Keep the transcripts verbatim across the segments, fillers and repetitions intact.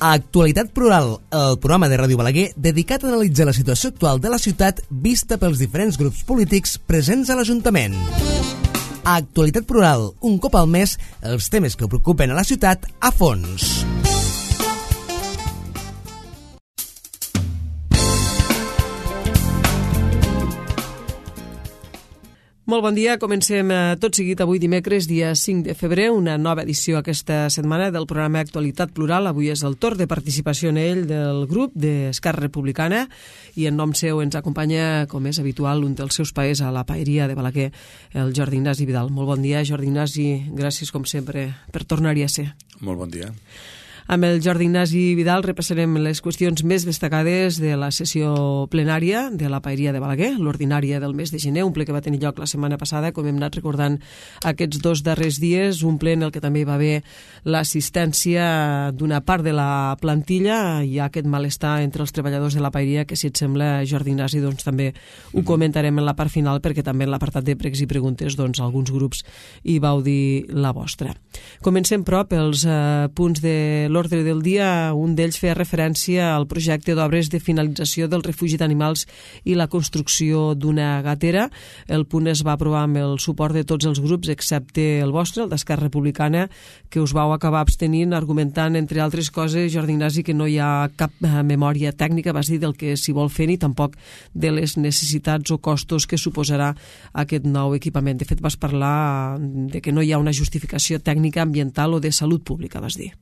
Actualitat Plural, el programa de Ràdio Balaguer dedicat a analitzar la situació actual de la ciutat vista pels diferents grups polítics presents a l'Ajuntament. Actualitat Plural, un cop al mes, els temes que preocupen a la ciutat a fons. Molt bon dia, comencem tot seguit avui dimecres, dia cinc de febrer, una nova edició aquesta setmana del programa Actualitat Plural. Avui és el torn de participació en ell del grup d'Esquerra Republicana i en nom seu ens acompanya, com és habitual, un dels seus paers a la paeria de Balaguer, el Jordi Ignasi Vidal. Molt bon dia, Jordi Ignasi, gràcies com sempre per tornar-hi a ser. Molt bon dia. Amb el Jordi Ignasi Vidal repassarem les qüestions més destacades de la sessió plenària de la paeria de Balaguer, l'ordinària del mes de gener, un ple que va tenir lloc la setmana passada, com hem anat recordant aquests dos darrers dies, un ple en el que també hi va haver l'assistència d'una part de la plantilla. Hi ha aquest malestar entre els treballadors de la paeria que, si et sembla, Jordi Ignasi, doncs també ho comentarem en la part final, perquè també en l'apartat de pregs i preguntes doncs alguns grups hi vau dir la vostra. Comencem, però, pels eh, punts de l'ordre del dia. Un d'ells feia referència al projecte d'obres de finalització del refugi d'animals i la construcció d'una gatera. El punt es va aprovar amb el suport de tots els grups, excepte el vostre, el d'Esquerra Republicana, que us vau acabar abstenint, argumentant, entre altres coses, Jordi Ignasi, que no hi ha cap memòria tècnica, vas dir, del que s'hi vol fer ni tampoc de les necessitats o costos que suposarà aquest nou equipament. De fet, vas parlar de que no hi ha una justificació tècnica, ambiental o de salut pública, vas dir.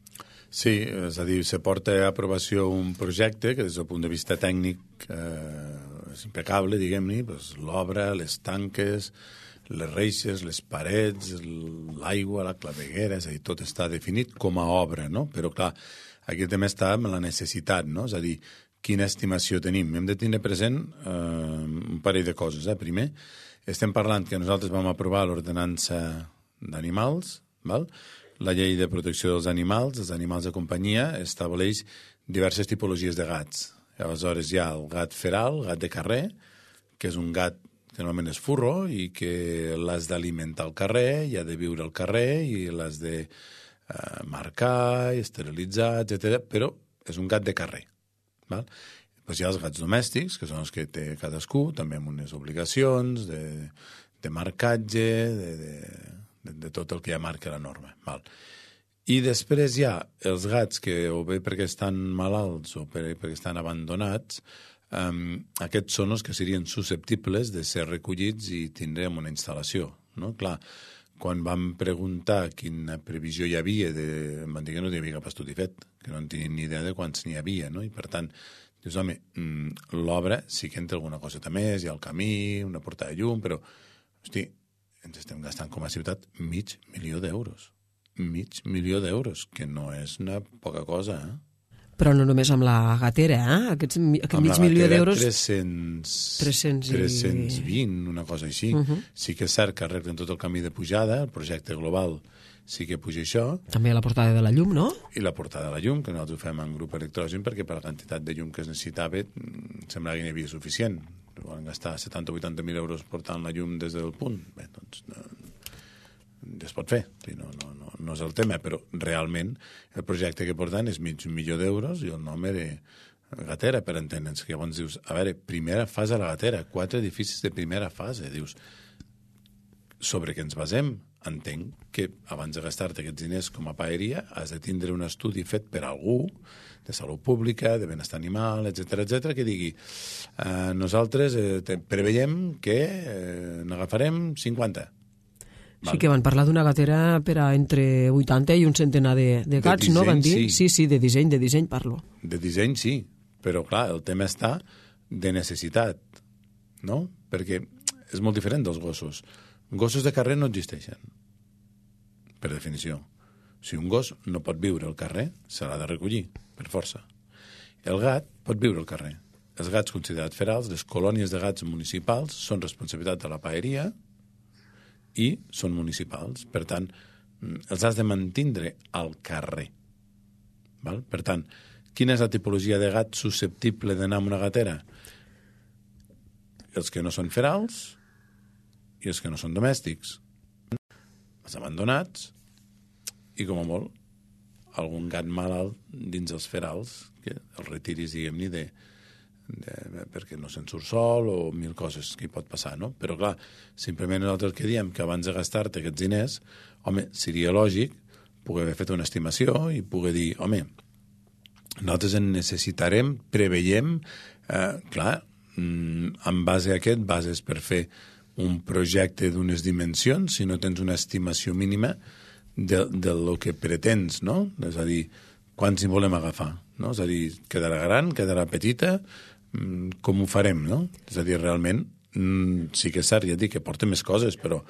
Sí, és a dir, se porta a aprovació un projecte que des del punt de vista tècnic eh, és impecable, diguem-ne, doncs, l'obra, les tanques, les reixes, les parets, l'aigua, la claveguera, és a dir, tot està definit com a obra, no? Però, clar, aquí també està amb la necessitat, no? És a dir, quina estimació tenim. Hem de tenir present eh, un parell de coses. Eh? Primer, estem parlant que nosaltres vam aprovar l'ordenança d'animals, val? La llei de protecció dels animals, els animals de companyia, estableix diverses tipologies de gats. Aleshores hi ha el gat feral, gat de carrer, que és un gat que normalment és furro i que l'has d'alimentar al carrer, i ha de viure al carrer i l'has de eh, marcar, esterilitzar, etcètera. Però és un gat de carrer. Val? Després hi ha els gats domèstics, que són els que té cadascú, també amb unes obligacions de, de marcatge, de... de De, de tot el que ja marca la norma. Val. I després hi ha els gats que o bé perquè estan malalts o per, perquè estan abandonats, um, aquests són els que serien susceptibles de ser recollits i tindrem una instal·lació. No? Clar, quan vam preguntar quina previsió hi havia, de, em van dir que no hi havia cap estudi fet, que no en tenien ni idea de quants n'hi havia, no? I per tant, dius, home, l'obra sí que entra alguna cosa més, hi ha el camí, una porta de llum, però, hosti, ens estem gastant com a ciutat mig milió d'euros. Mig milió d'euros, que no és una poca cosa, eh? Però no només amb la gatera, eh? Aquests, aquest mig milió d'euros... tres-cents, tres-cents i... tres-cents vint, una cosa així. Uh -huh. Sí que és cert que arreglen tot el camí de pujada, el projecte global sí que puja això. També la portada de la llum, no? I la portada de la llum, que nosaltres ho fem en grup electrogen, perquè per la quantitat de llum que es necessitava semblava que n'hi havia suficient. Van gastar setanta o vuitanta mil euros portant la llum des del punt. Bé, doncs, no, ja es pot fer. No, no, no, no és el tema, però realment el projecte que porten és mig milió d'euros i el nom era gatera, per entendre'ns. Que llavors dius, a veure, primera fase a la gatera, quatre edificis de primera fase. Dius, sobre què ens basem? Entenc que abans de gastar-te aquests diners com a paeria has de tindre un estudi fet per algú de salut pública, de benestar animal, etcètera, etcètera, que digui eh, nosaltres eh, preveiem que eh, n'agafarem cinquanta. Sí, val. Que van parlar d'una gatera per a entre vuitanta i un centenar de, de gats, de disseny, no? Van dir? Sí. sí, sí, de disseny, de disseny parlo. De disseny, sí, però clar, el tema està de necessitat, no? Perquè és molt diferent dels gossos. Gossos de carrer no existeixen, per definició. Si un gos no pot viure al carrer, se l'ha de recollir, per força. El gat pot viure al carrer. Els gats considerats ferals, les colònies de gats municipals, són responsabilitat de la paeria i són municipals. Per tant, els has de mantindre al carrer. Val? Per tant, quina és la tipologia de gat susceptible d'anar amb una gatera? Els que no són ferals i els que no són domèstics. Els abandonats i, com a molt, algun gat malalt dins els ferals, que el retiris, diguem-ne, de, de, perquè no se'n surt sol o mil coses que hi pot passar, no? Però, clar, simplement nosaltres que diem que abans de gastar-te aquests diners, home, seria lògic poder haver fet una estimació i poder dir, home, nosaltres en necessitarem, preveiem, eh, clar, en base a aquest, bases per fer un projecte d'unes dimensions, si no tens una estimació mínima de, de lo que pretens, no? És a dir, quants hi volem agafar, no? És a dir, quedarà gran, quedarà petita, com ho farem, no? És a dir, realment, sí que és cert, ja dic que porta més coses, però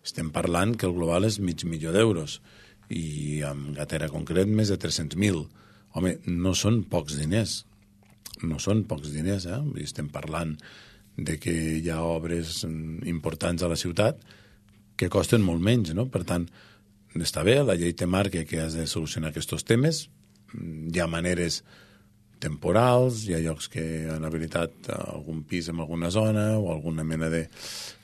estem parlant que el global és mig milió d'euros i amb Gatera concret més de tres-cents mil. Home, no són pocs diners, no són pocs diners, eh? Estem parlant de que hi ha obres importants a la ciutat que costen molt menys, no? Per tant, està bé, la llei te marca que has de solucionar aquests temes, hi ha maneres temporals, hi ha llocs que han habilitat algun pis en alguna zona o alguna mena de,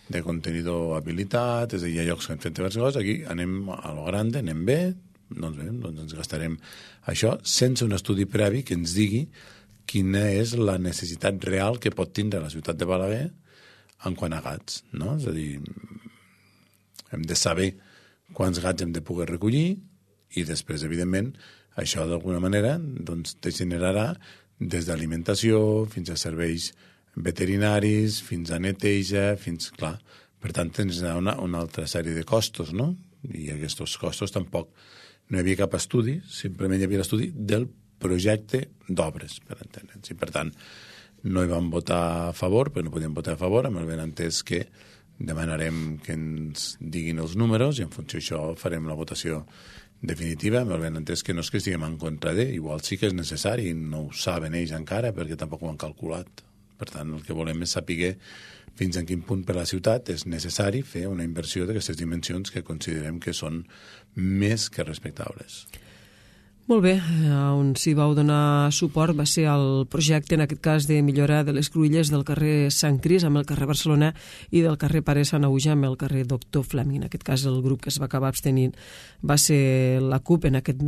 de contenidor habilitat, és a dir, hi ha llocs que han fet diverses coses, aquí anem a lo grande, anem bé, doncs bé, doncs ens gastarem això sense un estudi previ que ens digui quina és la necessitat real que pot tindre la ciutat de Balaguer en quant a gats, no? És a dir, hem de saber quants gats hem de poder recollir i després, evidentment, això d'alguna manera doncs, te generarà des d'alimentació fins a serveis veterinaris, fins a neteja, fins, clar, per tant, tens una, una altra sèrie de costos, no? I aquests costos tampoc no hi havia cap estudi, simplement hi havia l'estudi del projecte d'obres, per entendre'ns. I, per tant, no hi vam votar a favor, però no podíem votar a favor, amb el benentès que demanarem que ens diguin els números i en funció d'això farem la votació definitiva, amb el benentès que no és que estiguem en contra de, igual sí que és necessari, no ho saben ells encara perquè tampoc ho han calculat. Per tant, el que volem és saber fins en quin punt per a la ciutat és necessari fer una inversió d'aquestes dimensions que considerem que són més que respectables. Molt bé, on s'hi vau donar suport va ser el projecte, en aquest cas, de millora de les cruïlles del carrer Sant Cris amb el carrer Barcelona i del carrer Pare Sant Auja amb el carrer Doctor Fleming. En aquest cas, el grup que es va acabar abstenint va ser la CUP, en aquest,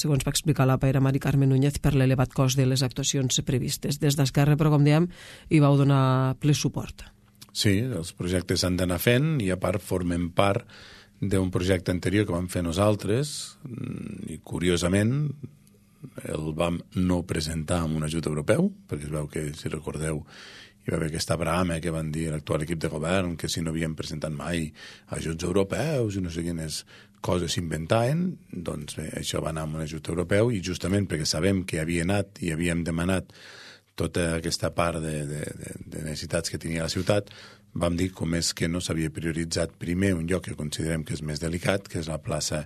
segons va explicar la paera Mari Carmen Núñez, per l'elevat cost de les actuacions previstes. Des d'Esquerra, però, com dèiem, hi vau donar ple suport. Sí, els projectes s'han d'anar fent i, a part, formen part d'un projecte anterior que vam fer nosaltres i, curiosament, el vam no presentar amb un ajut europeu, perquè es veu que, si recordeu, hi va haver aquesta brama que van dir l'actual equip de govern que si no havien presentat mai ajuts europeus i no sé quines coses s'inventaven, doncs bé, això va anar amb un ajut europeu i justament perquè sabem que havia anat i havíem demanat tota aquesta part de, de, de, de necessitats que tenia la ciutat, vam dir com és que no s'havia prioritzat primer un lloc que considerem que és més delicat, que és la plaça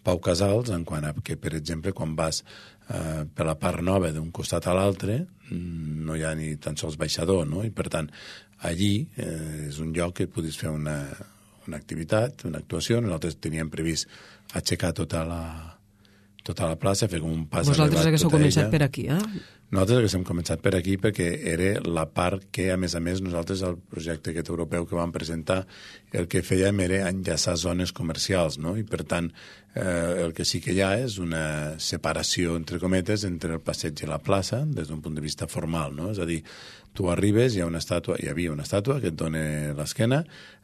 Pau Casals, en quant a que, per exemple, quan vas eh, per la part nova d'un costat a l'altre, no hi ha ni tan sols baixador, no? I, per tant, allí eh, és un lloc que podis fer una, una activitat, una actuació. Nosaltres teníem previst aixecar tota la, tota la plaça, fer com un pas elevat. Vosaltres haguéssiu començat per aquí, eh? Nosaltres haguéssim començat per aquí perquè era la part que, a més a més, nosaltres, el projecte aquest europeu que vam presentar, el que fèiem era enllaçar zones comercials, no? I, per tant, eh, el que sí que hi ha és una separació, entre cometes, entre el passeig i la plaça, des d'un punt de vista formal, no? És a dir, tu arribes, hi ha una estàtua, hi havia una estàtua que et dona l'esquena,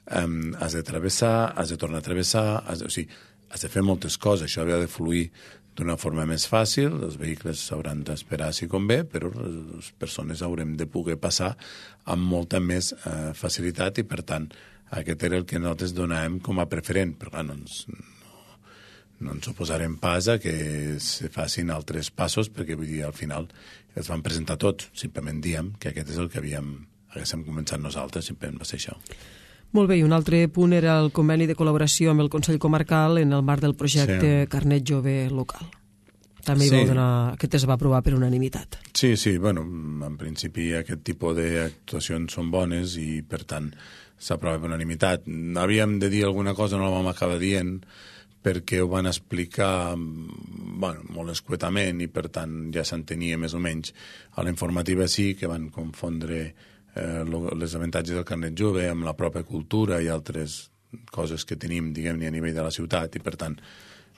eh, has de travessar, has de tornar a travessar, has de, o sigui, has de fer moltes coses, això havia de fluir d'una forma més fàcil, els vehicles s'hauran d'esperar si convé, però les persones haurem de poder passar amb molta més eh, facilitat i, per tant, aquest era el que nosaltres donàvem com a preferent, però clar, no ens, no, no ens oposarem pas a que se facin altres passos, perquè vull dir, al final els vam presentar tots, simplement diem que aquest és el que havíem, haguéssim començat nosaltres, simplement va ser això. Molt bé, i un altre punt era el conveni de col·laboració amb el Consell Comarcal en el marc del projecte sí. Carnet Jove Local. També hi sí. va donar, aquest es va aprovar per unanimitat. Sí, sí, bueno, en principi aquest tipus d'actuacions són bones i, per tant, s'aprova per unanimitat. Havíem de dir alguna cosa, no la vam acabar dient, perquè ho van explicar bueno, molt escuetament i, per tant, ja s'entenia més o menys. A la informativa sí que van confondre Eh, les avantatges del carnet jove amb la pròpia cultura i altres coses que tenim, diguem-ne, a nivell de la ciutat i, per tant,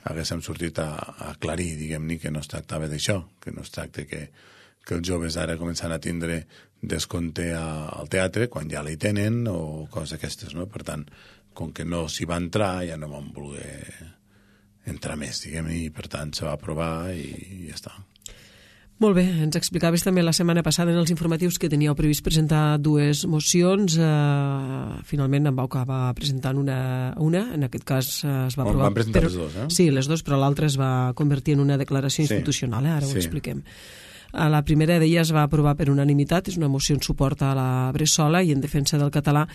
haguéssim sortit a, a aclarir, diguem-ne, que no es tractava d'això, que no es tracta que, que els joves ara començan a tindre descompte a, al teatre quan ja l'hi tenen o coses d'aquestes, no? Per tant, com que no s'hi va entrar, ja no vam voler entrar més, diguem-ne, i per tant se va aprovar i, i ja està. Molt bé, ens explicaves també la setmana passada en els informatius que teníeu previst presentar dues mocions. Uh, finalment en vau acabar presentant una, una. En aquest cas uh, es va aprovar... Van presentar però, les dues, eh? Sí, les dues, però l'altra es va convertir en una declaració institucional, eh? Ara Sí. ho expliquem. La primera d'elles va aprovar per unanimitat, és una moció en suport a la Bressola i en defensa del català,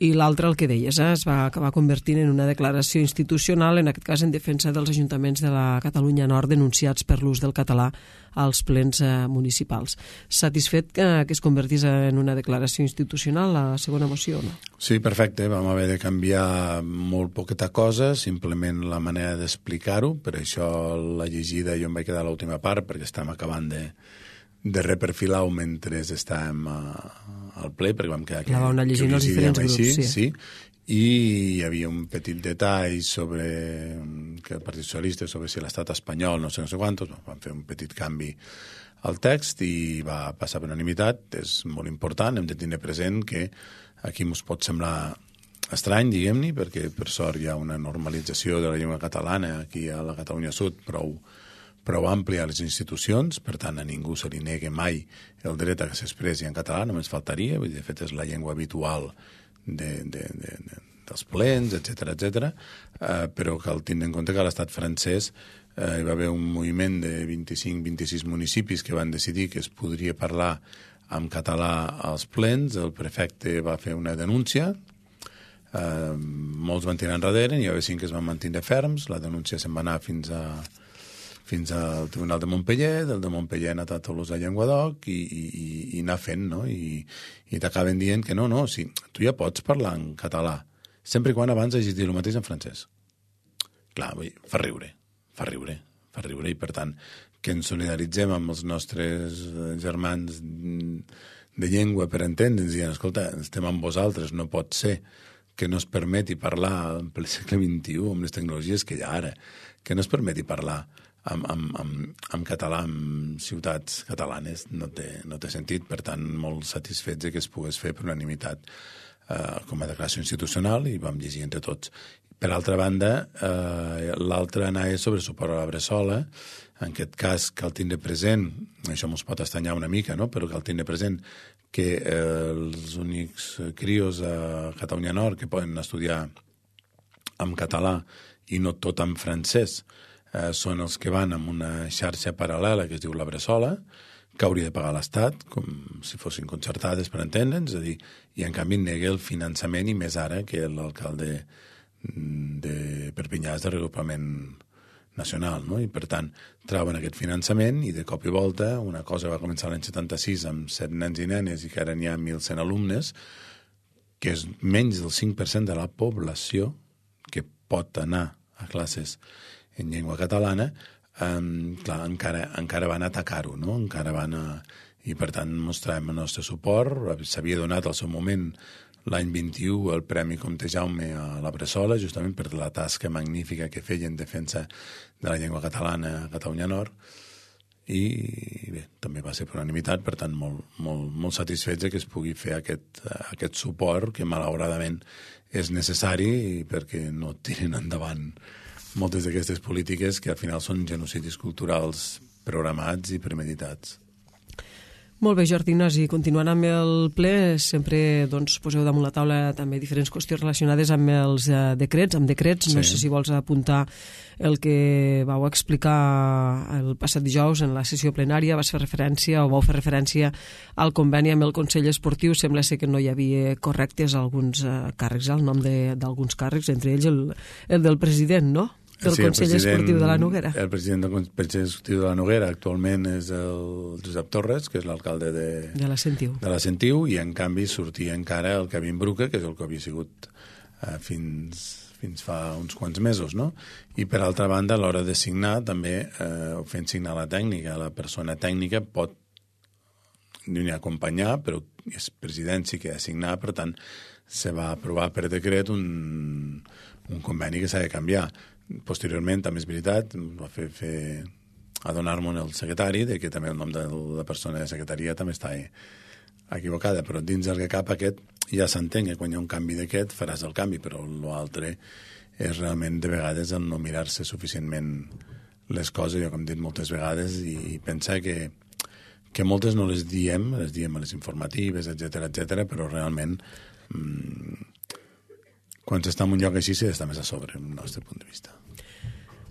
i l'altra, el que deies, eh, es va acabar convertint en una declaració institucional, en aquest cas en defensa dels ajuntaments de la Catalunya Nord denunciats per l'ús del català als plens eh, municipals. Satisfet que, que es convertís en una declaració institucional la segona moció o no? Sí, perfecte. Vam haver de canviar molt poqueta cosa, simplement la manera d'explicar-ho. Per això la llegida jo em vaig quedar a l'última part, perquè estem acabant de, de reperfilar-ho mentre estàvem a, al ple, perquè vam quedar... La vau anar llegint els diferents grups, així, sí. sí. I hi havia un petit detall sobre que el Partit Socialista, sobre si l'estat espanyol, no sé, no sé quantos, van fer un petit canvi al text i va passar per unanimitat. És molt important, hem de tenir present que aquí ens pot semblar estrany, diguem-ne, perquè per sort hi ha una normalització de la llengua catalana aquí a la Catalunya Sud prou, prou àmplia a les institucions, per tant a ningú se li nega mai el dret a que s'expressi en català, només faltaria, vull dir, de fet és la llengua habitual de, de, de, de, dels plens, etcètera, etcètera, eh, però cal tindre en compte que a l'estat francès eh, hi va haver un moviment de vint-i-cinc vint-i-sis municipis que van decidir que es podria parlar en català als plens, el prefecte va fer una denúncia, eh, molts van tirar enrere, n'hi va haver cinc que es van mantenir ferms, la denúncia se'n va anar fins a fins al Tribunal de Montpellier, del de Montpellier ha anat a Toulouse a Llenguadoc i, i, i, i anar fent, no? I, i t'acaben dient que no, no, sí, tu ja pots parlar en català, sempre i quan abans hagis dit el mateix en francès. Clar, vull, fa riure, fa riure, fa riure, i per tant que ens solidaritzem amb els nostres germans de llengua per entendre'ns, dient, escolta, estem amb vosaltres, no pot ser que no es permeti parlar en ple segle vint-i-u amb les tecnologies que hi ha ara, que no es permeti parlar en, en, en, en català en ciutats catalanes, no té, no té sentit. Per tant, molt satisfets que es pogués fer per unanimitat eh, com a declaració institucional, i vam llegir entre tots. Per altra banda, eh, l'altra anava sobre suport a la Bressola. En aquest cas cal tindre present, això ens pot estranyar una mica, no? Però cal tindre present que eh, els únics crios a Catalunya Nord que poden estudiar en català i no tot en francès eh, són els que van amb una xarxa paral·lela que es diu la Bressola, que hauria de pagar l'Estat, com si fossin concertades per entendre'ns, és a dir, i en canvi nega el finançament, i més ara que l'alcalde de Perpinyà és de regrupament nacional, no? I per tant troben aquest finançament i de cop i volta una cosa va començar l'any setanta-sis amb set nens i nenes i que ara n'hi ha mil cent alumnes, que és menys del cinc per cent de la població que pot anar a classes en llengua catalana, um, clar, encara, encara van atacar-ho, no? Encara van a... I per tant mostrem el nostre suport. S'havia donat al seu moment l'any vint-i-u el Premi Comte Jaume a la Bressola, justament per la tasca magnífica que feia en defensa de la llengua catalana a Catalunya Nord, i bé, també va ser per unanimitat, per tant molt, molt, molt satisfets que es pugui fer aquest, aquest suport que malauradament és necessari perquè no tiren endavant moltes d'aquestes polítiques que al final són genocidis culturals programats i premeditats. Molt bé, Jordi Ignasi, continuant amb el ple, sempre doncs, poseu damunt la taula també diferents qüestions relacionades amb els eh, decrets, amb decrets, sí. No sé si vols apuntar el que vau explicar el passat dijous en la sessió plenària, vas fer referència o vau fer referència al conveni amb el Consell Esportiu, sembla ser que no hi havia correctes alguns eh, càrrecs, el nom d'alguns càrrecs, entre ells el, el del president, no?, del sí, Consell Esportiu de la Noguera. El president del Consell Esportiu de la Noguera actualment és el Josep Torres, que és l'alcalde de, de la Sentiu. de la Sentiu, i en canvi sortia encara el Kevin Bruca, que és el que havia sigut eh, fins, fins fa uns quants mesos, no? I per altra banda, a l'hora de signar, també eh, fent signar la tècnica, la persona tècnica pot ni acompanyar, però és presidència que ha de signar, per tant, se va aprovar per decret un, un conveni que s'ha de canviar. Posteriorment, també és veritat, va fer, fer adonar-me el secretari de que també el nom de la persona de secretaria també està equivocada, però dins del que cap aquest ja s'entén que quan hi ha un canvi d'aquest faràs el canvi, però l'altre és realment de vegades el no mirar-se suficientment les coses, jo com he dit moltes vegades, i, i pensar que, que moltes no les diem, les diem a les informatives, etcètera, etcètera, però realment mmm, quan s'està en un lloc així s'està més a sobre, del nostre punt de vista.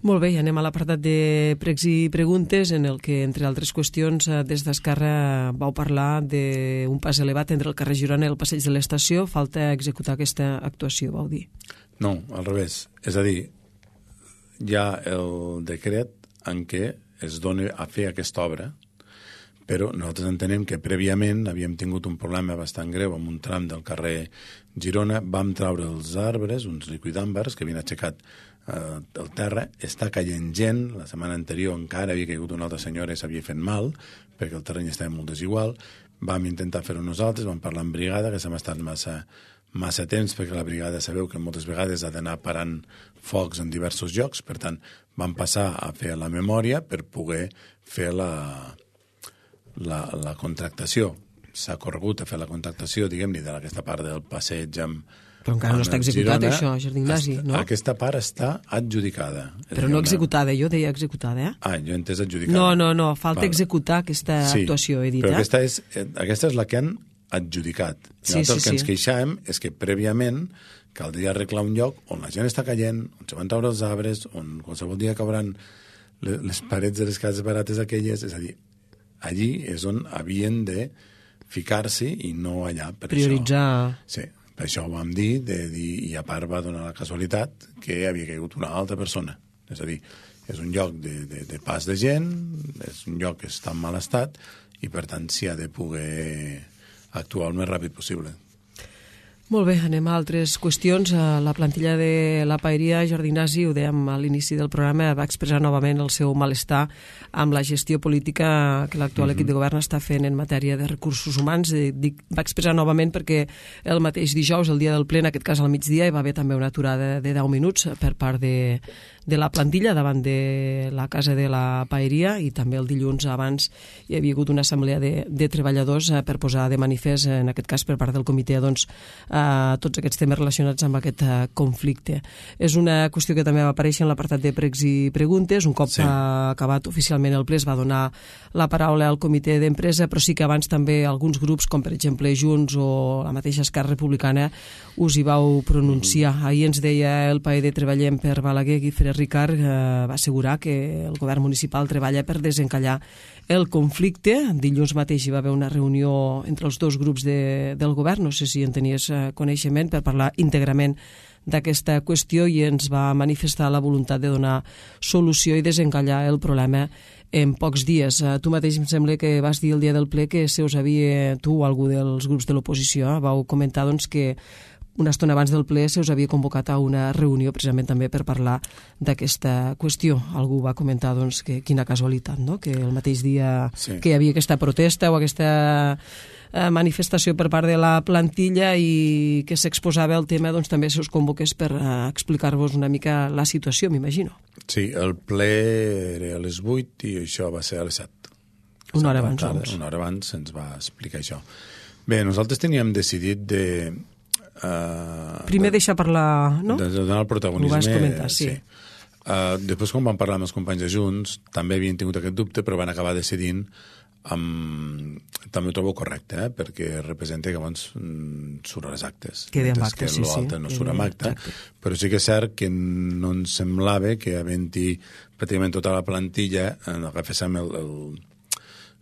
Molt bé, i anem a l'apartat de pregs i preguntes, en el que, entre altres qüestions, des d'Esquerra vau parlar d'un pas elevat entre el carrer Girona i el passeig de l'estació. Falta executar aquesta actuació, vau dir. No, al revés. És a dir, hi ha el decret en què es dona a fer aquesta obra, però nosaltres entenem que prèviament havíem tingut un problema bastant greu amb un tram del carrer Girona, vam traure els arbres, uns liquidàmbars que havien aixecat eh, el terra, està caient gent, la setmana anterior encara havia caigut una altra senyora i s'havia fet mal, perquè el terreny estava molt desigual, vam intentar fer-ho nosaltres, vam parlar amb brigada, que s'hem estat massa, massa temps, perquè la brigada sabeu que moltes vegades ha d'anar parant focs en diversos llocs, per tant, vam passar a fer la memòria per poder fer la... La, la contractació. S'ha corregut a fer la contractació, diguem-ne, d'aquesta part del passeig amb... Però encara no està executat, Girona, això, Jardí Ignasi, no? Aquesta part està adjudicada. Però no executada, jo deia executada, eh? Ah, jo he entès adjudicada. No, no, no, falta vale. executar aquesta sí, actuació, he dit, però eh? aquesta és, aquesta és la que han adjudicat. I sí, sí, el que sí. ens queixàvem és que prèviament caldria arreglar un lloc on la gent està caient, on se van treure els arbres, on qualsevol dia cauran les parets de les cases barates aquelles, és a dir, allí és on havien de ficar-se i no allà. Per prioritzar. Això, sí, per això ho vam dir, de dir, i a part va donar la casualitat que havia caigut una altra persona. És a dir, és un lloc de, de, de pas de gent, és un lloc que està en mal estat i per tant s'hi ha de poder actuar el més ràpid possible. Molt bé, anem a altres qüestions. La plantilla de la Paeria, Jordi Ignasi, ho dèiem a l'inici del programa, va expressar novament el seu malestar amb la gestió política que l'actual mm-hmm. equip de govern està fent en matèria de recursos humans. Dic, va expressar novament perquè el mateix dijous, el dia del ple, en aquest cas al migdia, hi va haver també una aturada de deu minuts per part de, de la plantilla davant de la casa de la Paeria, i també el dilluns abans hi havia hagut una assemblea de, de treballadors per posar de manifest, en aquest cas per part del comitè, doncs, a tots aquests temes relacionats amb aquest uh, conflicte. És una qüestió que també va aparèixer en l'apartat de pregs i preguntes. Un cop sí. ha acabat oficialment el ple es va donar la paraula al comitè d'empresa, però sí que abans també alguns grups, com per exemple Junts o la mateixa Esquerra Republicana, us hi vau pronunciar. Mm-hmm. Ahir ens deia el paer de Treballem per Balaguer, Guifré Ricard, eh, va assegurar que el govern municipal treballa per desencallar el conflicte. Dilluns mateix hi va haver una reunió entre els dos grups de, del govern, no sé si en tenies eh, coneixement, per parlar íntegrament d'aquesta qüestió, i ens va manifestar la voluntat de donar solució i desencallar el problema en pocs dies. Eh, tu mateix em sembla que vas dir el dia del ple que se us havia, tu o algú dels grups de l'oposició, eh, vau comentar doncs, que una estona abans del ple se us havia convocat a una reunió precisament també per parlar d'aquesta qüestió. Algú va comentar doncs, que quina casualitat, no? Que el mateix dia sí. que hi havia aquesta protesta o aquesta eh, manifestació per part de la plantilla i que s'exposava el tema, doncs també se us convoqués per eh, explicar-vos una mica la situació, m'imagino. Sí, el ple era a les vuit i això va ser a les set. Una hora abans, doncs. Una hora abans se'ns va explicar això. Bé, nosaltres teníem decidit de... Uh, Primer de, deixar parlar, no? De, de donar el protagonisme. Ho vas comentar, sí. sí. Uh, després, quan vam parlar amb els companys de Junts, també havien tingut aquest dubte, però van acabar decidint amb... també ho trobo correcte, eh? Perquè representa que abans mm, surt a les actes. Queda amb actes, sí, sí. No surt amb acte, però sí que és cert que no ens semblava que havent-hi pràcticament tota la plantilla en agaféssim el, el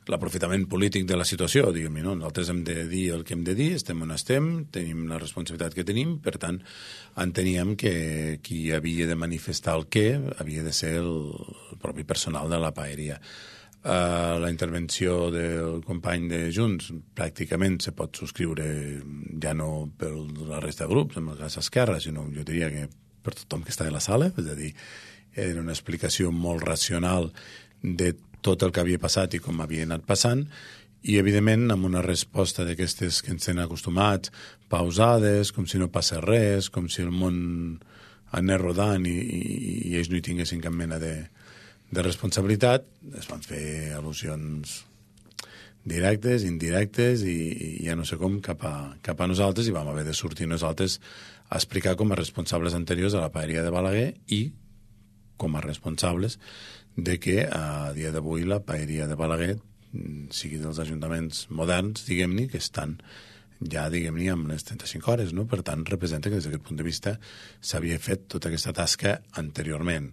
l'aprofitament polític de la situació, diguem-ne, no? Nosaltres hem de dir el que hem de dir, estem on estem, tenim la responsabilitat que tenim, per tant, enteníem que qui havia de manifestar el què havia de ser el, el propi personal de la Paeria. Uh, la intervenció del company de Junts pràcticament se pot subscriure ja no per la resta de grups, en el cas Esquerra, sinó jo diria que per tothom que està a la sala, és a dir, era una explicació molt racional de tot el que havia passat i com havia anat passant, i evidentment amb una resposta d'aquestes que ens tenen acostumats, pausades, com si no passés res, com si el món anar rodant i, i, i ells no hi tinguessin cap mena de, de responsabilitat, es van fer al·lusions directes, indirectes i, i ja no sé com cap a, cap a nosaltres, i vam haver de sortir nosaltres a explicar com a responsables anteriors a la paeria de Balaguer i com a responsables de que a dia d'avui la paeria de Balaguer sigui dels ajuntaments moderns, diguem-ne, que estan ja, diguem-ne, amb les trenta-cinc hores, no? Per tant, representa que des d'aquest punt de vista s'havia fet tota aquesta tasca anteriorment.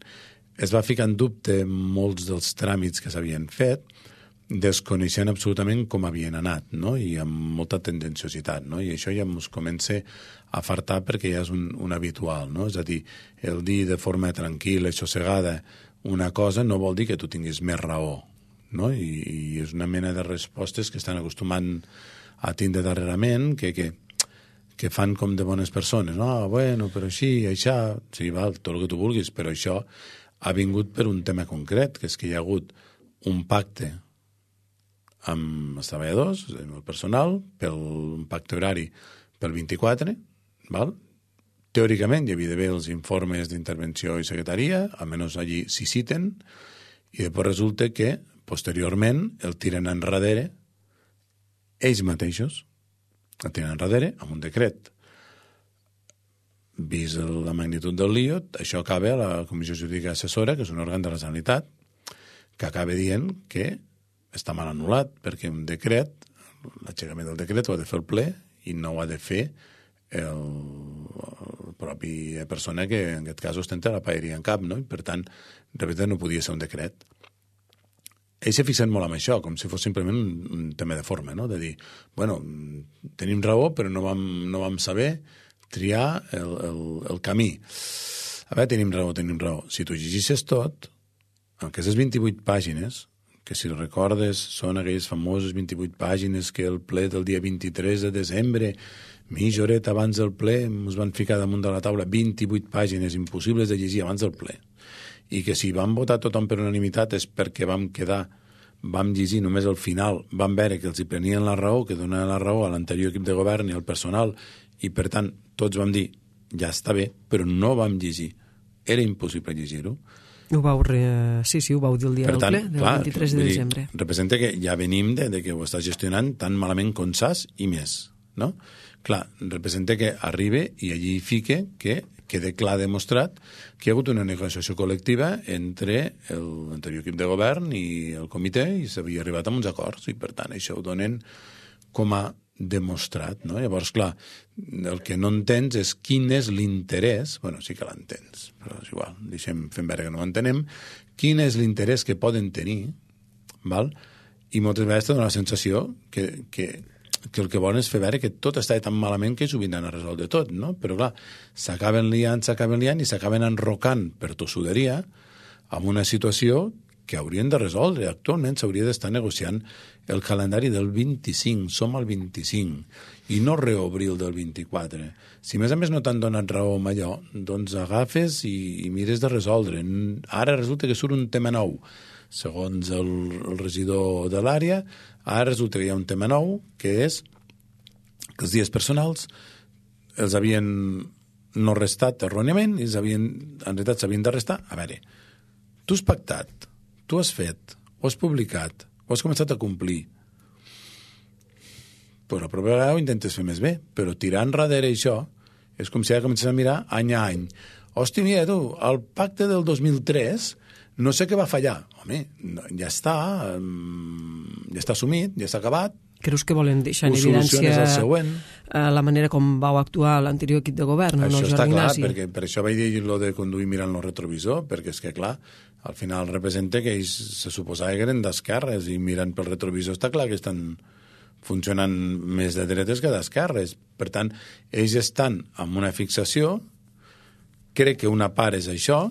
Es va ficar en dubte molts dels tràmits que s'havien fet, desconeixent absolutament com havien anat, no? I amb molta tendenciositat, no? I això ja ens comença a fartar perquè ja és un, un habitual, no? És a dir, el dir de forma tranquil·la i sossegada una cosa no vol dir que tu tinguis més raó, no? I, i és una mena de respostes que estan acostumant a tindre darrerament, que, que, que fan com de bones persones, no? Ah, bueno, però així, això, sí, val, tot el que tu vulguis, però això ha vingut per un tema concret, que és que hi ha hagut un pacte amb els treballadors, amb el personal, pel un pacte horari pel vint-i-quatre, val? Teòricament hi havia d'haver els informes d'intervenció i secretaria, almenys allí s'hi citen, i després resulta que posteriorment el tiren enrere ells mateixos, el tiren enrere amb un decret. Vist la magnitud del lío, això acaba a la Comissió Jurídica Assessora, que és un òrgan de la Generalitat, que acaba dient que està mal anul·lat, perquè un decret, l'aixecament del decret ho ha de fer el ple i no ho ha de fer el, el propi persona que en aquest cas ostenta la paeria en cap, no? I per tant, de veritat no podia ser un decret. Ells s'ha fixat molt amb això, com si fos simplement un, un tema de forma, no? De dir, bueno, tenim raó, però no vam, no vam saber triar el, el, el camí. A veure, tenim raó, tenim raó. Si tu llegissis tot, en aquestes vint-i-vuit pàgines, que si recordes són aquelles famoses vint-i-vuit pàgines que el ple del dia vint-i-tres de desembre, mitja horeta abans del ple, ens van ficar damunt de la taula vint-i-vuit pàgines impossibles de llegir abans del ple. I que si vam votar tothom per unanimitat és perquè vam quedar, vam llegir només al final, vam veure que els hi prenien la raó, que donaven la raó a l'anterior equip de govern i al personal, i per tant tots vam dir, ja està bé, però no vam llegir. Era impossible llegir-ho. Ho vau re... Sí, sí, ho vau dir el dia per del tant, ple, del clar, vint-i-tres de desembre. Dir, representa que ja venim de, de que ho estàs gestionant tan malament com saps i més, no? Clar, representa que arribe i allí fique que quede clar demostrat que hi ha hagut una negociació col·lectiva entre l'anterior equip de govern i el comitè i s'havia arribat a uns acords i per tant això ho donen com a demostrat, no? Llavors, clar, el que no entens és quin és l'interès, bueno, sí que l'entens, però és igual, deixem fent veure que no l'entenem, quin és l'interès que poden tenir, val? I moltes vegades te dona la sensació que, que, que el que volen és fer veure que tot està tan malament que s'ho vindran a resoldre tot, no? Però clar, s'acaben liant, s'acaben liant i s'acaben enrocant per tossuderia amb una situació que haurien de resoldre. Actualment s'hauria d'estar negociant el calendari del vint-i-cinc, som al vint-i-cinc, i no reobrir el del vint-i-quatre. Si més a més no t'han donat raó amb allò, doncs agafes i, i mires de resoldre. Ara resulta que surt un tema nou. Segons el, el regidor de l'àrea, ara resulta que hi ha un tema nou, que és que els dies personals els havien no restat erròniament i els havien, en realitat s'havien de restar. A veure, tu has pactat, tu has fet, ho has publicat, ho has començat a complir. Però la propera vegada ho intentes fer més bé, però tirar enrere això és com si ara comences a mirar any a any. Hosti, mira tu, el pacte del dos mil tres no sé què va fallar. Home, ja està, ja està assumit, ja està acabat. Creus que volen deixar en evidència la manera com vau actuar l'anterior equip de govern? Això no, està clar, perquè per això vaig dir lo de conduir mirant el retrovisor, perquè és que, clar, al final representa que ells se suposava que eren d'esquerres i mirant pel retrovisor està clar que estan funcionant més de dretes que d'esquerres. Per tant, ells estan amb una fixació, crec que una part és això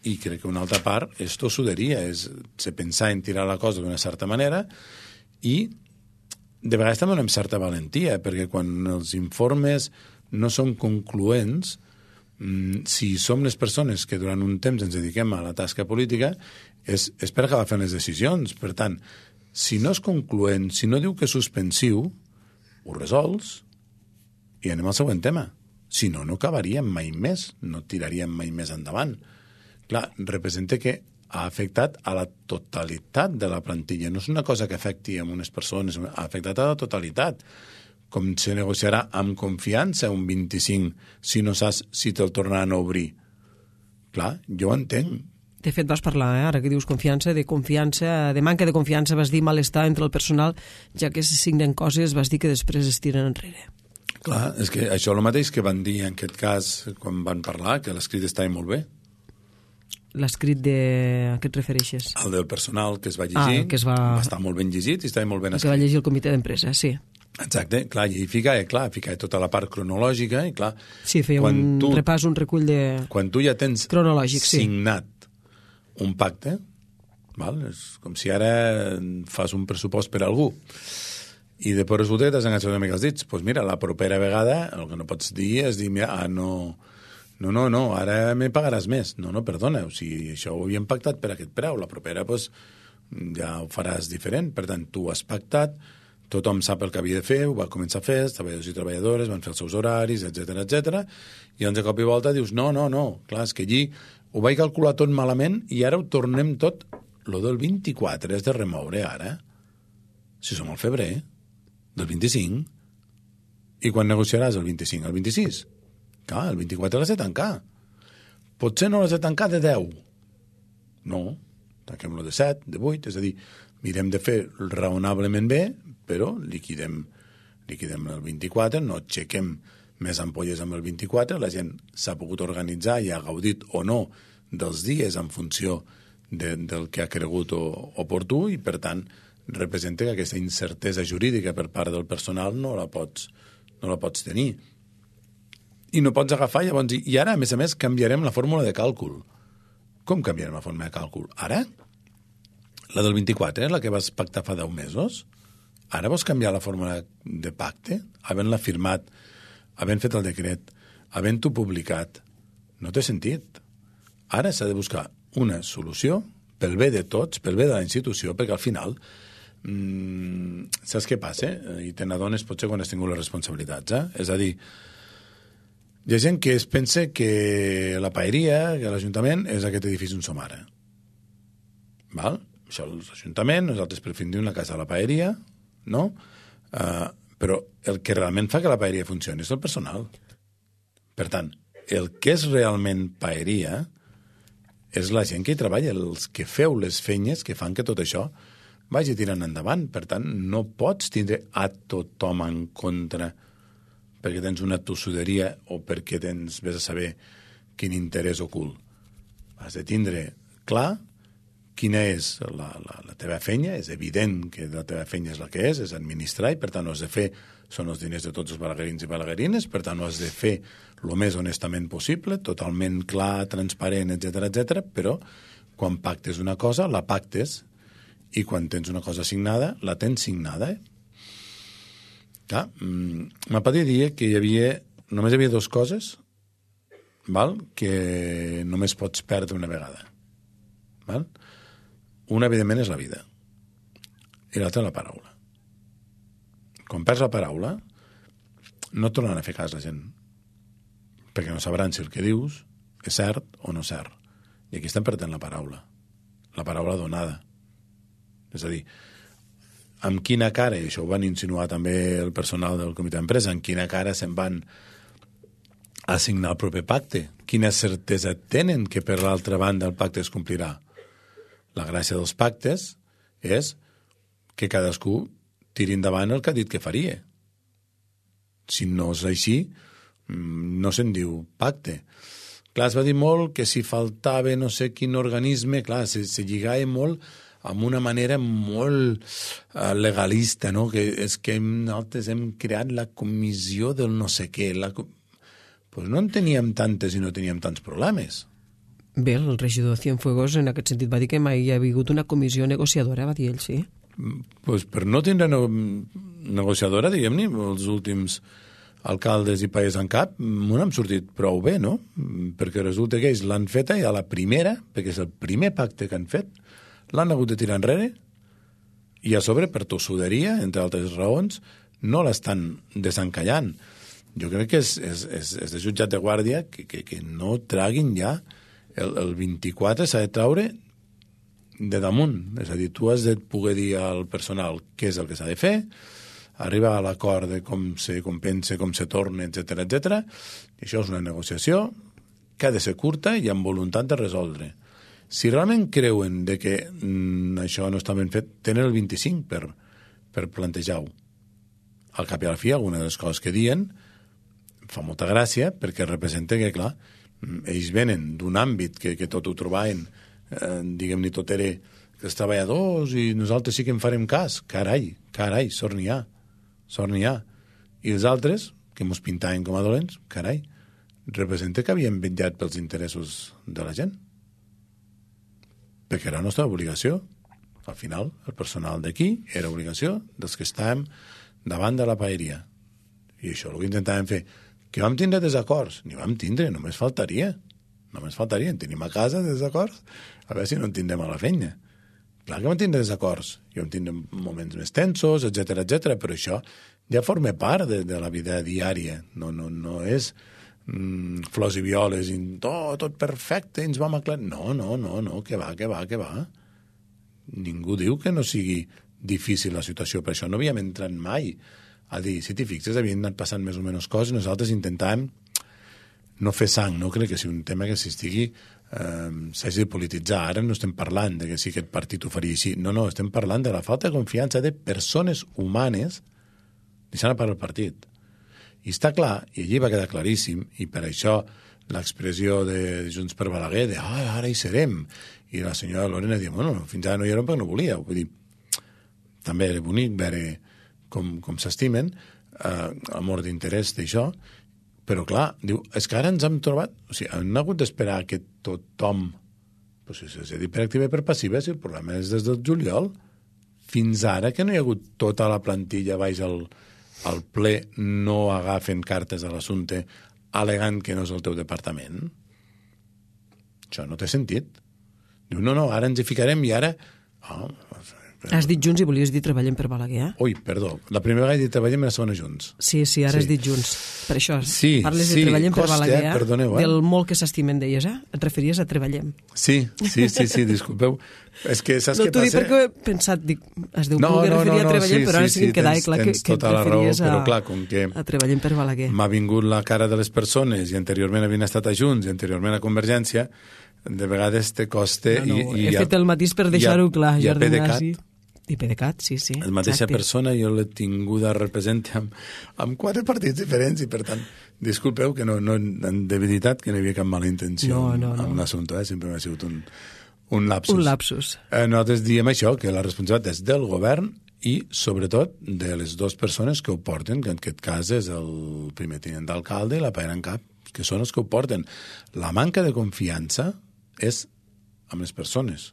i crec que una altra part és tossuderia, és pensar en tirar la cosa d'una certa manera i de vegades també amb certa valentia, perquè quan els informes no són concloents, si som les persones que durant un temps ens dediquem a la tasca política, és, és per acabar fent les decisions. Per tant, si no és concloent, si no diu que és suspensiu, ho resols i anem al següent tema. Si no, no acabaríem mai més, no tiraríem mai més endavant. Clar, representa que ha afectat a la totalitat de la plantilla. No és una cosa que afecti a unes persones, ha afectat a la totalitat. Com se negociarà amb confiança un vint-i-cinc si no saps si te'l tornaran a obrir? Clar, jo ho entenc. De fet, vas parlar, eh, ara que dius confiança, de confiança, de manca de confiança, vas dir malestar entre el personal, ja que se signen coses, vas dir que després es tiren enrere. Clar, és que això és el mateix que van dir en aquest cas quan van parlar, que l'escrit estava molt bé. L'escrit de... a què et refereixes? El del personal que es va llegir, ah, que es va... va estar molt ben llegit i estava molt ben escrit. Que va llegir el comitè d'empresa, sí. Exacte, clar, i ficava, clar, ficava tota la part cronològica i clar... Sí, feia un tu, repàs, un recull de... Quan tu ja tens cronològic, signat sí. un pacte, val? És com si ara fas un pressupost per a algú i després resulta que t'has enganxat una mica els dits. Doncs pues mira, la propera vegada el que no pots dir és dir, mira, ah, no... No, no, no, ara me pagaràs més. No, no, perdona, o sigui, això ho havíem pactat per aquest preu. La propera, doncs, ja ho faràs diferent. Per tant, tu has pactat, tothom sap el que havia de fer, ho va començar a fer, els treballadors i treballadores van fer els seus horaris, etcètera, etcètera, i doncs de cop i volta dius, no, no, no, clar, és que allí ho vaig calcular tot malament i ara ho tornem tot. Lo del vint-i-quatre és de remoure ara. Si som al febrer, del vint-i-cinc. I quan negociaràs el vint-i-cinc? El vint-i-sis? Clar, el vint-i-quatre l'has de tancar. Potser no l'has de tancar de deu. No, tanquem-lo de set, de vuit, és a dir, mirem de fer raonablement bé, però liquidem, liquidem el vint-i-quatre, no aixequem més ampolles amb el vint-i-quatre, la gent s'ha pogut organitzar i ha gaudit o no dels dies en funció de, del que ha cregut o, oportú i, per tant, representa que aquesta incertesa jurídica per part del personal no la pots, no la pots tenir. I no pots agafar, llavors, i ara, a més a més, canviarem la fórmula de càlcul. Com canviarem la fórmula de càlcul? Ara? La del vint-i-quatre, la que vas pactar fa deu mesos? Ara vols canviar la fórmula de pacte? Havent-la firmat, havent fet el decret, havent-ho publicat. No té sentit. Ara s'ha de buscar una solució pel bé de tots, pel bé de la institució, perquè al final, mmm, saps què passa? I te n'adones potser quan has tingut les responsabilitats, eh? És a dir, hi ha gent que es pensa que la paeria, que l'Ajuntament, és aquest edifici on som ara. Val? Això és l'Ajuntament, nosaltres preferim dir la casa de la paeria, no? Uh, però el que realment fa que la paeria funcioni és el personal. Per tant, el que és realment paeria és la gent que hi treballa, els que feu les feines que fan que tot això vagi tirant endavant. Per tant, no pots tindre a tothom en contra perquè tens una tossuderia o perquè tens, vés a saber, quin interès ocult. Has de tindre clar quina és la, la, la teva feina. És evident que la teva feina és la que és, és administrar, i per tant ho has de fer, són els diners de tots els balaguerins i balaguerines, per tant ho has de fer el més honestament possible, totalment clar, transparent, etcètera, etcètera, però quan pactes una cosa, la pactes, i quan tens una cosa signada, la tens signada, eh? Clar, ma pare dia que hi havia, només hi havia dues coses, val? Que només pots perdre una vegada. Val? Una, evidentment, és la vida. I l'altra, la paraula. Quan perds la paraula, no et tornen a fer cas la gent. Perquè no sabran si el que dius és cert o no cert. I aquí estem perdent la paraula. La paraula donada. És a dir, amb quina cara, i això ho van insinuar també el personal del comitè d'empresa, amb quina cara se'n van assignar el proper pacte? Quina certesa tenen que per l'altra banda el pacte es complirà? La gràcia dels pactes és que cadascú tiri endavant el que ha dit que faria. Si no és així, no se'n diu pacte. Clar, es va dir molt que si faltava no sé quin organisme, clar, se, se lligava molt amb una manera molt uh, legalista, no? Que és que nosaltres hem creat la comissió del no sé què. La... Pues no en teníem tantes i no teníem tants problemes. Bé, el regidor Cienfuegos en aquest sentit va dir que mai hi ha hagut una comissió negociadora, va dir ell, sí. Pues per no tindre no... negociadora, diguem-ne, els últims alcaldes i país en cap, m'ho n'hem sortit prou bé, no? Perquè resulta que ells l'han feta i a la primera, perquè és el primer pacte que han fet, l'han hagut de tirar enrere i a sobre, per tossuderia, entre altres raons, no l'estan desencallant. Jo crec que és, és, és, és de jutjat de guàrdia que, que, que no traguin ja. El, el vint-i-quatre s'ha de traure de damunt. És a dir, tu has de poder dir al personal què és el que s'ha de fer, arribar a l'acord de com se compensa, com se torna, etcètera, etcètera. I això és una negociació que ha de ser curta i amb voluntat de resoldre. Si realment creuen de que mm, això no està ben fet, tenen el vint-i-cinc per, per plantejar-ho. Al cap i a la fi, alguna de les coses que diuen fa molta gràcia perquè representa que, clar, ells venen d'un àmbit que, que tot ho trobaven, eh, diguem-ne, tot era que els treballadors i nosaltres sí que en farem cas. Carai, carai, sort n'hi ha, sort n'hi ha. I els altres, que mos pintaven com a dolents, carai, representa que havien vetllat pels interessos de la gent. Perquè era la nostra obligació. Al final, el personal d'aquí era obligació dels que estàvem davant de la paeria. I això el que intentàvem fer. Que vam tindre desacords? Ni vam tindre, només faltaria. Només faltaria. En tenim a casa desacords. A veure si no en tindrem a la feina. Clar que vam tindre desacords. I vam tindre moments més tensos, etcètera, etcètera, però això ja forma part de, de la vida diària. No, no, no és mm, flors i violes i tot, tot perfecte, ens vam aclarar. No, no, no, no, que va, que va, que va. Ningú diu que no sigui difícil la situació, per això no havíem entrat mai a dir, si t'hi fixes, havien anat passant més o menys coses, nosaltres intentàvem no fer sang, no crec que sigui un tema que s'estigui eh, s'hagi de polititzar. Ara no estem parlant de que si aquest partit ho faria així, no, no, estem parlant de la falta de confiança de persones humanes deixant a part el partit. I està clar, i allí va quedar claríssim, i per això l'expressió de Junts per Balaguer, de ah, ara hi serem, i la senyora Lorena diu, bueno, fins ara no hi érem perquè no volia. Vull dir, també era bonic veure com, com s'estimen, eh, amor d'interès d'això, però clar, diu, és que ara ens hem trobat, o sigui, hem hagut d'esperar que tothom, pues, si s'ha dit per activa i per passiva, si el problema és des del juliol, fins ara que no hi ha hagut tota la plantilla baix al, al ple, no agafen cartes a l'assumpte alegant que no és el teu departament. Això no té sentit. Diu, no, no, ara ens hi ficarem i ara... Oh, has dit Junts i volies dir Treballem per Balaguer, eh? Ui, perdó. La primera vegada he dit Treballem i la segona Junts. Sí, sí, ara sí. Has dit Junts. Per això, sí, parles sí, de Treballem costa, per Balaguer, eh? Perdoneu, eh? Del molt que s'estimen d'elles, eh? Et referies a Treballem. Sí, sí, sí, sí, disculpeu. És que saps no, què passa? No, t'ho dic perquè he pensat, dic, es deu no, poder no, referir no, no, a Treballem, sí, però ara sí, sí que em quedava tens, clar que, que et referies raó, a, però clar, com que a Treballem per Balaguer. M'ha vingut la cara de les persones i anteriorment havien estat a Junts i anteriorment a Convergència, de vegades te costa... No, no, i, i he ha, fet el matís per deixar-ho clar, Jordi Nasi. I PDeCAT, sí, sí. La mateixa exacte. persona jo l'he tinguda representa amb, amb quatre partits diferents i per tant, disculpeu que no, no de veritat que no hi havia cap mala intenció no, no, no. amb l'assumpte, eh? Sempre m'ha sigut un, un lapsus. Un lapsus. Eh, nosaltres diem això, que la responsabilitat és del govern i sobretot de les dues persones que ho porten, que en aquest cas és el primer tinent d'alcalde i la paera en cap, que són els que ho porten. La manca de confiança és amb les persones.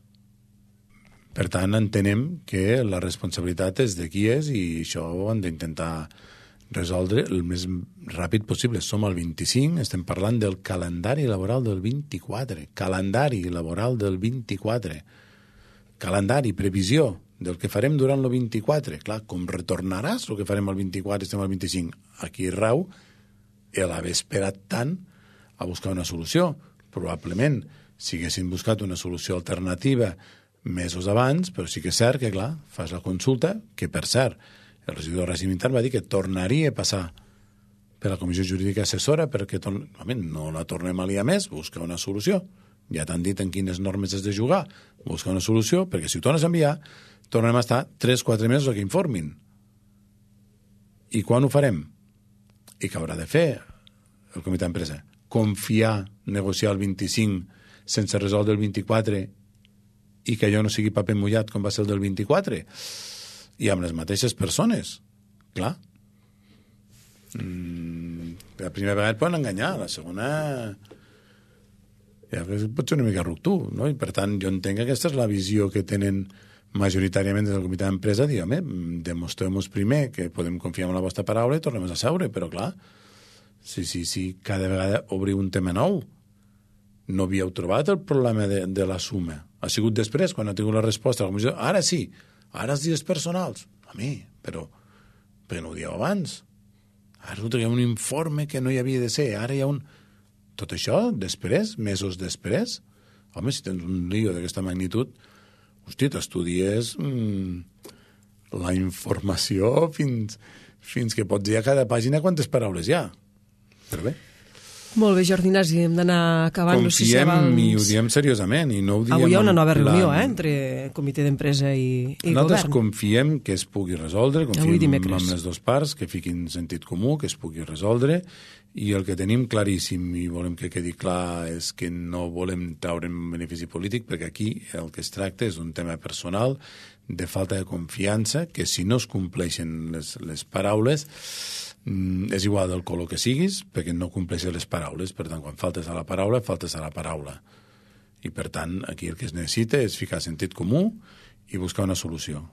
Per tant, entenem que la responsabilitat és de qui és i això ho han d'intentar resoldre el més ràpid possible. Som al vint-i-cinc, estem parlant del calendari laboral del vint-i-quatre. Calendari laboral del vint-i-quatre. Calendari, previsió del que farem durant el vint-i-quatre. Clar, com retornaràs el que farem al vint-i-quatre, estem al vint-i-cinc. Aquí rau l'haver esperat tant a buscar una solució. Probablement, si haguessin buscat una solució alternativa mesos abans, però sí que és cert que, clar, fas la consulta, que per cert, el regidor de règim intern va dir que tornaria a passar per la Comissió Jurídica Assessora perquè torn... no la tornem a liar més, busca una solució. Ja t'han dit en quines normes has de jugar, busca una solució, perquè si ho tornes a enviar, tornem a estar tres quatre mesos a que informin. I quan ho farem? I què haurà de fer el comitè d'empresa? Confiar, negociar el vint-i-cinc sense resoldre el vint-i-quatre i que allò no sigui paper mullat com va ser el del vint-i-quatre i amb les mateixes persones, clar. Mm, la primera vegada et poden enganyar, la segona ja pot ser una mica ruptur, no? I per tant jo entenc que aquesta és la visió que tenen majoritàriament des del comitè d'empresa, dir, home, demostreu-nos primer que podem confiar en la vostra paraula i tornem a seure, però clar, si, si, si cada vegada obriu un tema nou, no havíeu trobat el problema de, de la suma. Ha sigut després, quan ha tingut la resposta a la comissió, ara sí, ara els dies personals. A mi, però, però no ho dieu abans. Ara resulta que hi ha un informe que no hi havia de ser, ara hi ha un... Tot això, després, mesos després, home, si tens un lío d'aquesta magnitud, hosti, t'estudies mmm, la informació fins, fins que pots dir a cada pàgina quantes paraules hi ha. Però bé. Molt bé, Jordi Ignasi, hem d'anar acabant. Confiem, no sé si abans... i ho diem seriosament. I no ho diem Avui hi ha una nova reunió plan... eh, entre comitè d'empresa i, i Nosaltres govern. confiem que es pugui resoldre, confiem en les dues parts, que fiquin sentit comú, que es pugui resoldre, i el que tenim claríssim i volem que quedi clar és que no volem treure un benefici polític, perquè aquí el que es tracta és un tema personal, de falta de confiança, que si no es compleixen les, les paraules, és igual del color que siguis, perquè no compleixes les paraules. Per tant, quan faltes a la paraula, faltes a la paraula. I, per tant, aquí el que es necessita és ficar sentit comú i buscar una solució.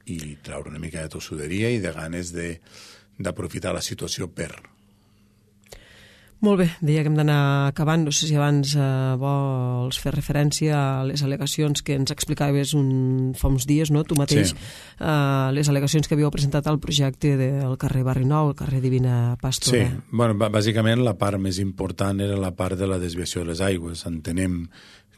I treure una mica de tossuderia i de ganes d'aprofitar la situació per... Molt bé, deia que hem d'anar acabant. No sé si abans eh, vols fer referència a les al·legacions que ens explicaves un, fa uns dies, no? Tu mateix, sí. eh, les al·legacions que havíeu presentat al projecte del carrer Barri Nou, el carrer Divina Pastora. Sí, bueno, bàsicament la part més important era la part de la desviació de les aigües. Entenem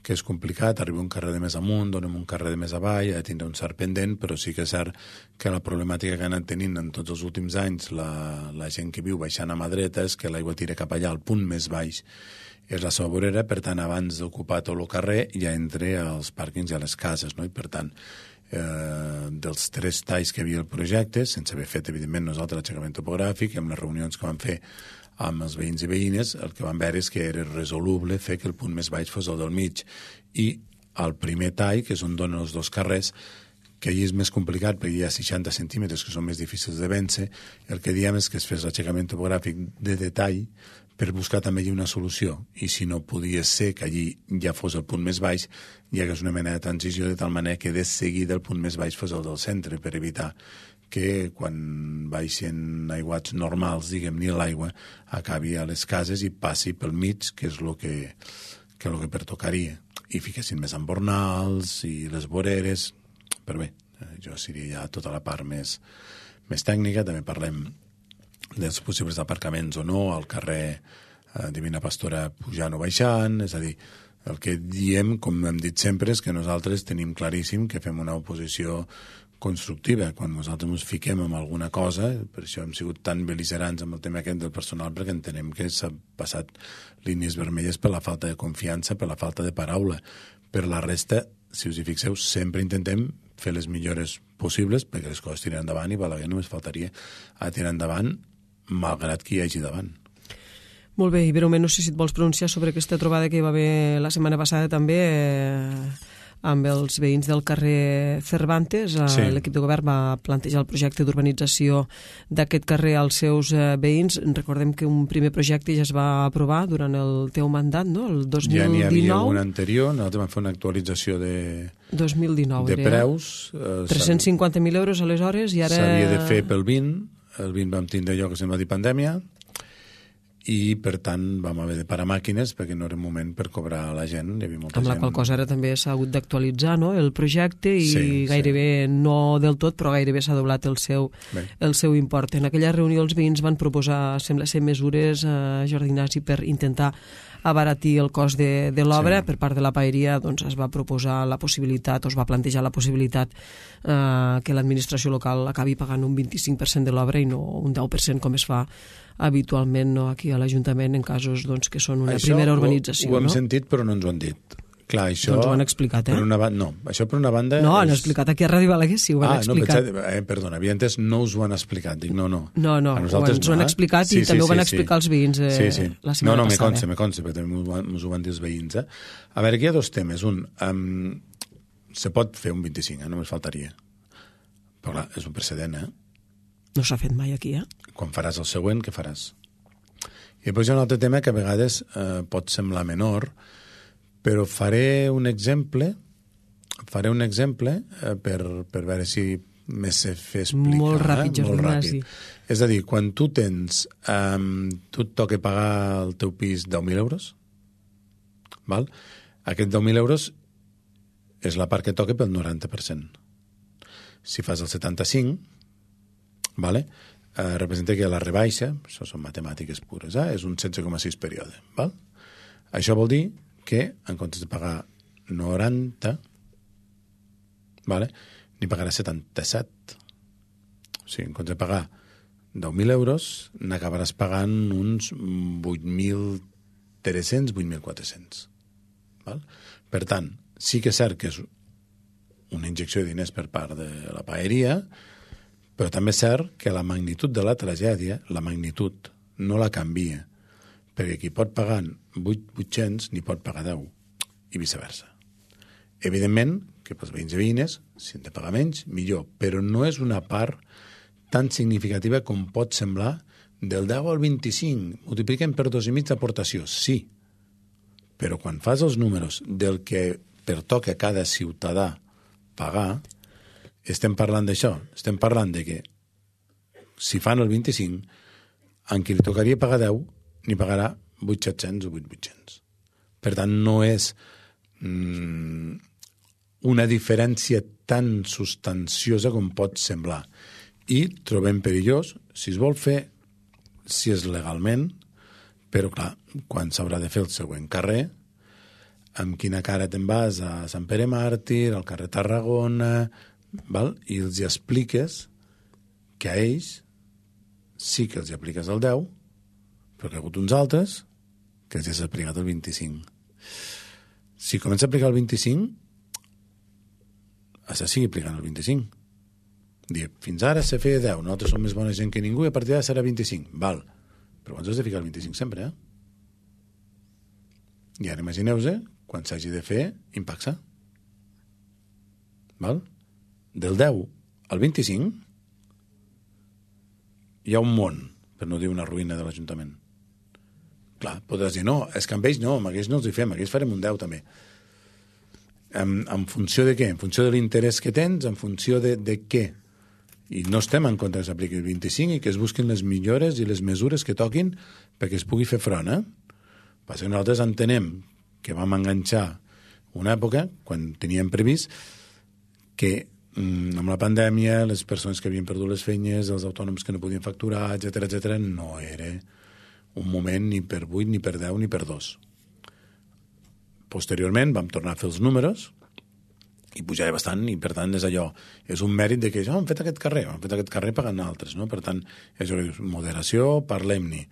que és complicat, arriba un carrer de més amunt, donem un carrer de més avall, ha de tindre un cert pendent, però sí que és cert que la problemàtica que han anat tenint en tots els últims anys la, la gent que viu baixant a mà dreta és que l'aigua tira cap allà, al punt més baix és la seva vorera, per tant, abans d'ocupar tot el carrer ja entra als pàrquings i a les cases, no? I per tant, eh, dels tres talls que hi havia el projecte, sense haver fet, evidentment, nosaltres l'aixecament topogràfic, amb les reunions que vam fer amb els veïns i veïnes, el que vam veure és que era resoluble fer que el punt més baix fos el del mig. I el primer tall, que és on donen els dos carrers, que allà és més complicat perquè hi ha seixanta centímetres que són més difícils de vèncer, el que diem és que es fes l'aixecament topogràfic de detall per buscar també allí una solució. I si no podia ser que allí ja fos el punt més baix, hi hagués una mena de transició de tal manera que de seguida el punt més baix fos el del centre, per evitar que quan baixen aiguats normals, diguem-ne, l'aigua acabi a les cases i passi pel mig, que és el que, que, lo que pertocaria. I fiquessin més embornals i les voreres. Però bé, això seria ja tota la part més, més tècnica. També parlem dels possibles aparcaments o no al carrer eh, Divina Pastora pujant o baixant. És a dir, el que diem, com hem dit sempre, és que nosaltres tenim claríssim que fem una oposició constructiva. Quan nosaltres ens fiquem en alguna cosa, per això hem sigut tan beligerants amb el tema aquest del personal, perquè entenem que s'ha passat línies vermelles per la falta de confiança, per la falta de paraula. Per la resta, si us hi fixeu, sempre intentem fer les millores possibles perquè les coses tiren endavant i Balaguer només faltaria a tirar endavant malgrat qui hi hagi davant. Molt bé, i breument, no sé si et vols pronunciar sobre aquesta trobada que hi va haver la setmana passada també eh, amb els veïns del carrer Cervantes. Sí. L'equip de govern va plantejar el projecte d'urbanització d'aquest carrer als seus eh, veïns. Recordem que un primer projecte ja es va aprovar durant el teu mandat, no? El dos mil dinou. Ja n'hi havia un anterior, nosaltres vam fer una actualització de, dos mil dinou, de preus. Eh, tres-cents cinquanta mil euros aleshores i ara... S'havia de fer pel vint, el vint vam tindre allò que se'n va dir pandèmia, i per tant vam haver de parar màquines perquè no era moment per cobrar a la gent. Hi havia molta amb la gent... qual cosa ara també s'ha hagut d'actualitzar, no?, el projecte i sí, gairebé, sí. no del tot, però gairebé s'ha doblat el seu, el seu import. En aquella reunió els veïns van proposar, sembla ser, mesures, eh, Jordi Ignasi, per intentar abaratir el cost de, de l'obra. Sí. Per part de la paeria doncs, es va proposar la possibilitat, o es va plantejar la possibilitat eh, que l'administració local acabi pagant un vint-i-cinc per cent de l'obra i no un deu per cent com es fa habitualment, no, aquí a l'Ajuntament en casos doncs, que són una això primera urbanització. Ho, ho hem no? sentit però no ens ho han dit. Clar, això... Doncs ho han explicat, eh? Per una no, això per una banda... No, és... han explicat aquí a Ràdio Balaguer, sí, ho han ah, explicat. No, pensat, eh, perdona, havia entès, no us ho han explicat. Dic, no, no. No, no, ho, ens no, ho han eh? explicat sí, i sí, també ho van sí, explicar sí. els veïns eh, sí, sí. la setmana no, no, passada. No, no, me consta, me consta, perquè també m'ho van dir els veïns. Eh? A veure, aquí hi ha dos temes. Un, um, se pot fer un vint-i-cinc, eh? Només faltaria. Però clar, és un precedent, eh? No s'ha fet mai aquí, eh? Quan faràs el següent, què faràs? I després hi ha un altre tema que a vegades eh, pot semblar menor, però faré un exemple, faré un exemple eh, per, per veure si me sé fer explicar. Molt ràpid, eh? Jordi Ignasi. És a dir, quan tu tens, um, tu et toca pagar el teu pis deu mil euros, val? Aquest deu mil euros és la part que toca pel noranta per cent. Si fas el setanta-cinc, vale? eh, representa que la rebaixa, això són matemàtiques pures, eh, és un setze coma sis període. Val? Això vol dir que, en comptes de pagar noranta, vale, n'hi pagarà setanta-set. O sigui, en comptes de pagar deu mil euros, n'acabaràs pagant uns vuit mil tres-cents, vuit mil quatre-cents. Val? Per tant, sí que és cert que és una injecció de diners per part de la paeria, però també és cert que la magnitud de la tragèdia, la magnitud, no la canvia, perquè qui pot pagar vuit-cents ni pot pagar deu, i viceversa. Evidentment, que pels veïns i veïnes, si han de pagar menys, millor, però no és una part tan significativa com pot semblar del deu al vint-i-cinc. Multipliquem per dos i mig d'aportació, sí. Però quan fas els números del que pertoca a cada ciutadà pagar, estem parlant d'això. Estem parlant de que si fan el vint-i-cinc, en qui li tocaria pagar deu, n'hi pagarà vuit mil set-cents o vuit mil vuit-cents. Per tant, no és mm, una diferència tan substanciosa com pot semblar. I trobem perillós, si es vol fer, si és legalment, però clar, quan s'haurà de fer el següent carrer, amb quina cara te'n vas a Sant Pere Màrtir, al carrer Tarragona, val? I els hi expliques que a ells sí que els hi apliques el deu, però que hi ha hagut uns altres que els hi has aplicat el vint-i-cinc. Si comença a aplicar el vint-i-cinc, has de seguir aplicant el vint-i-cinc. Dir, fins ara se feia deu, nosaltres som més bona gent que ningú i a partir d'ara serà vint-i-cinc. Val, però abans has de ficar el vint-i-cinc sempre, eh? I ara imagineu-vos quan s'hagi de fer impacte. Val? Del deu al vint-i-cinc hi ha un món, per no dir una ruïna de l'Ajuntament. Clar, podràs dir, no, és que amb ells no, amb aquells no els hi fem, amb aquells farem un deu també. En, en funció de què? En funció de l'interès que tens, en funció de, de què? I no estem en contra que s'apliqui el vint-i-cinc i que es busquin les millores i les mesures que toquin perquè es pugui fer front, eh? Passa que nosaltres entenem que vam enganxar una època, quan teníem previst, que mm, amb la pandèmia, les persones que havien perdut les feines, els autònoms que no podien facturar, etcètera, etcètera, no era un moment ni per vuit, ni per deu, ni per dos. Posteriorment vam tornar a fer els números i pujava bastant, i per tant és allò, és un mèrit de que ja oh, hem fet aquest carrer, hem fet aquest carrer pagant altres, no? Per tant, és moderació, parlem-ne.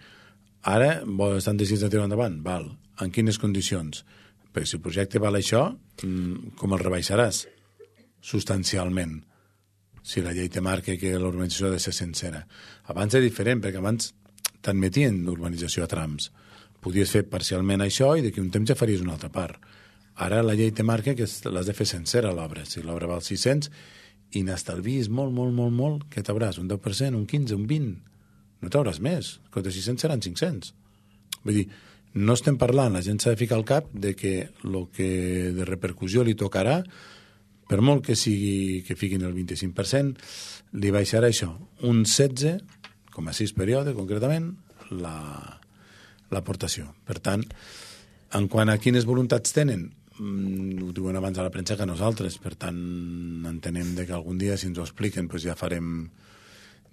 Ara estan decidits de tirar endavant, val, en quines condicions? Perquè si el projecte val això, com el rebaixaràs? Substancialment. Si la llei te marca que l'urbanització ha de ser sencera. Abans era diferent, perquè abans t'admetien l'urbanització a trams. Podies fer parcialment això i d'aquí un temps ja faries una altra part. Ara la llei te marca que l'has de fer sencera l'obra. Si l'obra val sis-cents i n'estalvis molt, molt, molt, molt, què t'hauràs? Un deu per cent, un quinze, un vint? No t'hauràs més. Que de sis-cents seran cinc-cents. Vull dir, no estem parlant, la gent s'ha de ficar al cap de que el que de repercussió li tocarà, per molt que sigui que fiquin el vint-i-cinc per cent, li baixarà això, un setze coma sis període, concretament, la, l'aportació. Per tant, en quant a quines voluntats tenen, ho diuen abans a la premsa que nosaltres, per tant, entenem de que algun dia, si ens ho expliquen, doncs ja farem,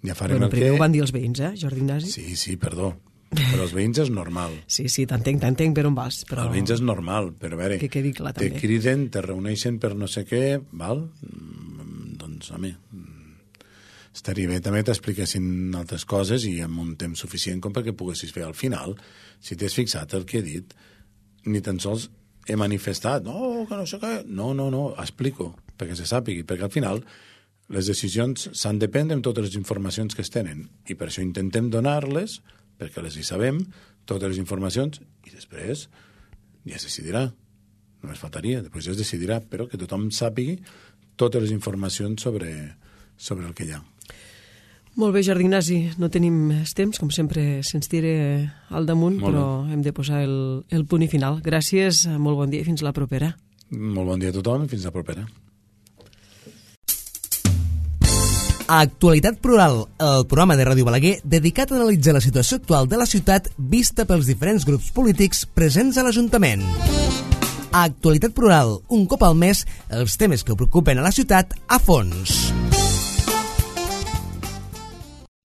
ja farem bueno, el que... Primer ho van dir els veïns, eh, Jordi Ignasi? Sí, sí, perdó. Però els veïns és normal. Sí, sí, t'entenc, t'entenc per on vas. Però... Els veïns és normal, però a veure, que quedi clar, te també. criden, te reuneixen per no sé què, val? Doncs, home, estaria bé també t'expliquessin altres coses i amb un temps suficient com perquè poguessis fer al final. Si t'has fixat el que he dit, ni tan sols he manifestat, no, que no sé què, no, no, no, explico, perquè se sàpigui, perquè al final les decisions s'han de prendre amb totes les informacions que es tenen, i per això intentem donar-les, perquè les hi sabem, totes les informacions, i després ja es decidirà, només faltaria, després ja es decidirà, però que tothom sàpigui totes les informacions sobre, sobre el que hi ha. Molt bé, Jordi Ignasi, no tenim més temps, com sempre se'ns tira al damunt, molt però bé. Hem de posar el, el punt i final. Gràcies, molt bon dia i fins la propera. Molt bon dia a tothom i fins la propera. Actualitat Plural, el programa de Ràdio Balaguer dedicat a analitzar la situació actual de la ciutat vista pels diferents grups polítics presents a l'Ajuntament. Actualitat Plural, un cop al mes, els temes que preocupen a la ciutat a fons.